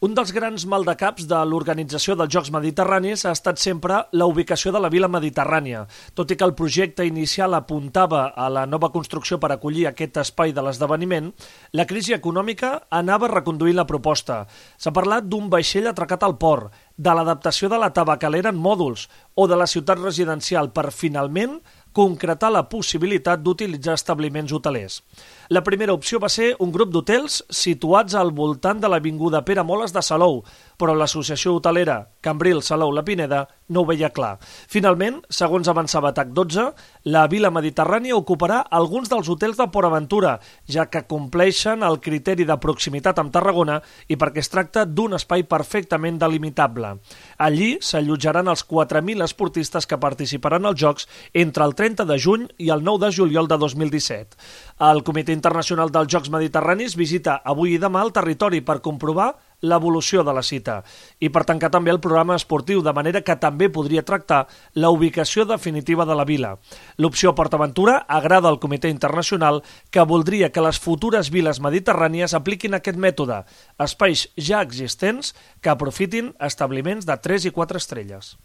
Un dels grans maldecaps de l'organització dels Jocs Mediterranis ha estat sempre la ubicació de la Vila Mediterrània. Tot i que el projecte inicial apuntava a la nova construcció per acollir aquest espai de l'esdeveniment, la crisi econòmica anava reconduint la proposta. S'ha parlat d'un vaixell atracat al port, de l'adaptació de la tabacalera en mòduls o de la ciutat residencial per, finalment, concretar la possibilitat d'utilitzar establiments hotelers. La primera opció va ser un grup d'hotels situats al voltant de l'avinguda Pere Moles de Salou, però l'associació hotelera Cambril Salou La Pineda no ho veia clar. Finalment, segons avançava TAC12, la Vila Mediterrània ocuparà alguns dels hotels de Port Aventura, ja que compleixen el criteri de proximitat amb Tarragona i perquè es tracta d'un espai perfectament delimitable. Allí s'allotjaran els 4.000 esportistes que participaran als Jocs entre el 30 de juny i el 9 de juliol de 2017. El Comitè Internacional dels Jocs Mediterranis visita avui i demà el territori per comprovar l'evolució de la cita i per tancar també el programa esportiu, de manera que també podria tractar la ubicació definitiva de la vila. L'opció Port Aventura agrada al Comitè Internacional, que voldria que les futures viles mediterrànies apliquin aquest mètode, espais ja existents que aprofitin establiments de 3 i 4 estrelles.